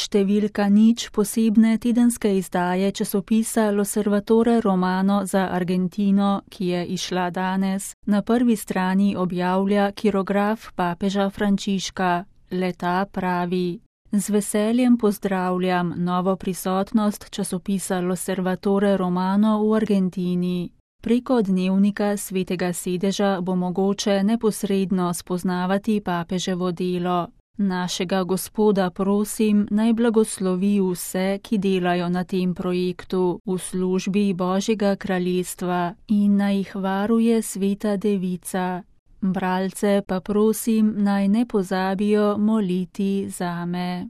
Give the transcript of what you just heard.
številka nič posebne tedenske izdaje časopisa L'Osservatore Romano za Argentino, ki je izšla danes, na prvi strani objavlja kirograf papeža Frančiška. Le-ta pravi: Z veseljem pozdravljam novo prisotnost časopisa L'Osservatore Romano v Argentini. Preko dnevnika Svetega sedeža bo mogoče neposredno spoznavati papeževo delo. Našega Gospoda prosim, naj blagoslovi vse, ki delajo na tem projektu v službi Božjega kraljestva, in naj jih varuje Sveta Devica. Bralce pa prosim, naj ne pozabijo moliti zame.